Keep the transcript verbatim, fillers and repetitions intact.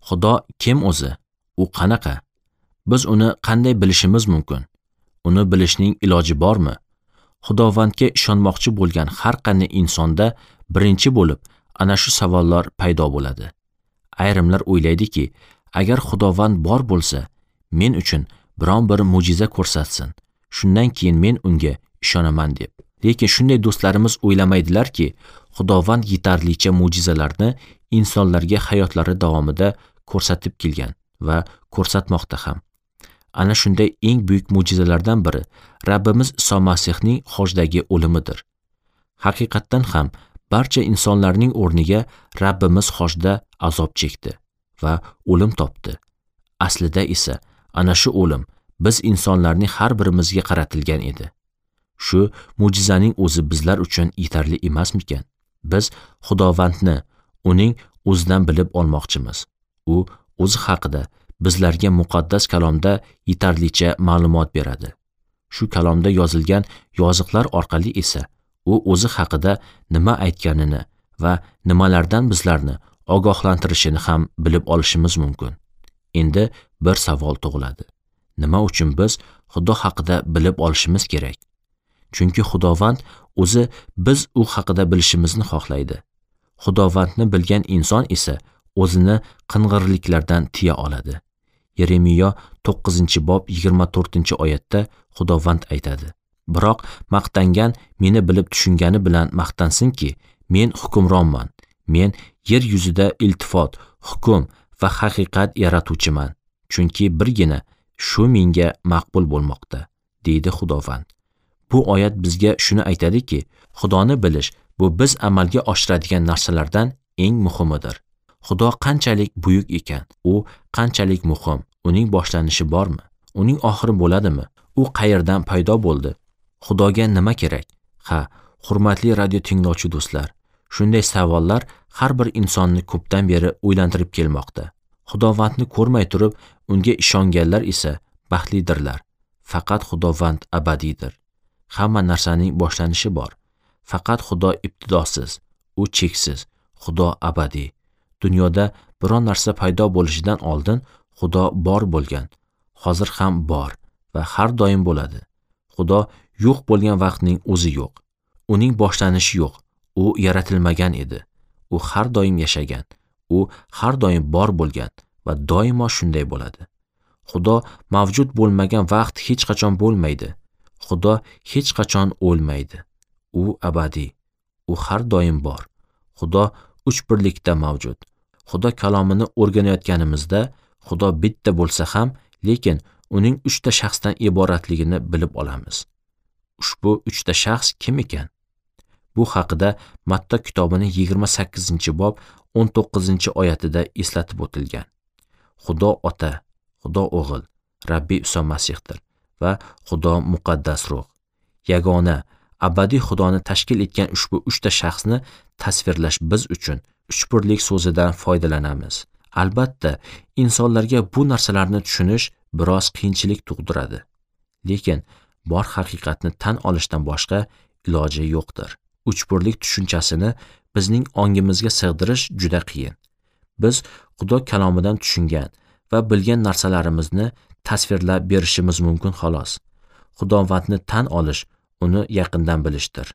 Xudo kim o'zi? U qanaqa? Biz uni qanday bilishimiz mumkin? Uni bilishning iloji bormi? Xudovandga ishonmoqchi bo'lgan har qanday insonda birinchi bo'lib ana shu savollar paydo bo'ladi. Ayrimlar o'ylaydiki, agar Xudovand bor bo'lsa, men uchun biron bir mo'jiza ko'rsatsin, shundan keyin men unga ishonaman deb. Lekin shunday do'stlarimiz o'ylamaydilarki, Xudovand yetarlicha mo'jizalarni insonlarga hayotlari davomida ko'rsatib kelgan va ko'rsatmoqda ham. Ana shunday eng buyuk mo'jizalardan biri Rabbimiz Iso Masihning xojdagi o'limidir. Haqiqatdan ham barcha insonlarning o'rniga Rabbimiz xojda azob chekdi va o'lim topdi. Aslida esa ana shu o'lim biz insonlarning har birimizga qaratilgan edi. Shu mo'jizaning o'zi bizlar uchun yetarli emasmikan? Biz Xudovandni uning o'zidan bilib olmoqchimiz. U o'zi haqida bizlarga muqaddas kalomda yetarlicha ma'lumot beradi. Shu kalomda yozilgan yoziqlar orqali esa u o'zi haqida nima aytganini va nimalardan bizlarni ogohlantirishini ham bilib olishimiz mumkin. Endi bir savol tug'iladi. Nima uchun biz Xudo haqida bilib olishimiz kerak? Chunki Xudovand o'zi biz u haqida bilishimizni xohlaydi. Xudovandni bilgan inson esa o'zini qing'irliklardan tiya oladi. Yeremiya to'qqizinchi bob yigirma to'rtinchi oyatda Xudovand aytadi: Biroq maqtangan meni bilib tushungani bilan maqtansinki, men hukmronman. Men yer yuzida iltifot, hukm va haqiqat yaratuvchiman. Chunki birgina shu menga maqbul bo'lmoqda, deydi Xudovand. Bu oyat bizga shuni aytadiki, Xudoni bilish bu biz amalga oshiradigan narsalardan eng muhimidir. Xudo qanchalik buyuk ekan, u qanchalik muhim, uning boshlanishi bormi? Uning oxiri bo'ladimi? U qayerdan paydo bo'ldi? Xudoga nima kerak? Ha, hurmatli radio tinglovchi do'stlar, shunday savollar har bir insonni ko'pdan beri o'ylantirib kelmoqda. Xudovandni ko'rmay turib, unga ishonganlar esa baxtlidirlar. Faqat Xudovand abadiydir. Hamma narsaning boshlanishi bor. Faqat Xudo ibtidosiz, u cheksiz, Xudo abadiy. Dunyoda biron narsa paydo bo'lishidan oldin Xudo bor bo'lgan, hozir ham bor va har doim bo'ladi. Xudo yo'q bo'lgan vaqtning o'zi yo'q. Uning boshlanishi yo'q. U yaratilmagan edi. U har doim yashagan. U har doim bor bo'lgan va doimo shunday bo'ladi. Xudo mavjud bo'lmagan vaqt hech qachon bo'lmaydi. Xudo hech qachon o'lmaydi. U abadiy. U har doim bor. Xudo uch birlikda mavjud. Xudo kalomini o'rganayotganimizda Xudo bitta bo'lsa ham, lekin uning uchta shaxsdan iboratligini bilib olamiz. Ushbu uchta shaxs kim ekan? Bu haqida Matta kitobining yigirma sakkizinchi bob o'n to'qqizinchi oyatida eslatib o'tilgan. Xudo Ota, Xudo O'g'il, Rabbi Iso Masihdir va Xudo Muqaddas Ruh. Yagona abadiy Xudoni tashkil etgan ushbu uchta shaxsni tasvirlash biz uchun uchbirlik so'zidan foydalanamiz. Albatta, insonlarga bu narsalarni tushunish biroz qiyinchilik tug'diradi. Lekin bor haqiqatni tan olishdan boshqa iloji yo'qdir. Uchbirlik tushunchasini bizning ongimizga sig'dirish juda qiyin. Biz Xudo kalomidan tushungan va bilgan narsalarimizni tasvirlab berishimiz mumkin xolos. Xudovandni tan olish, uni yaqindan bilishdir.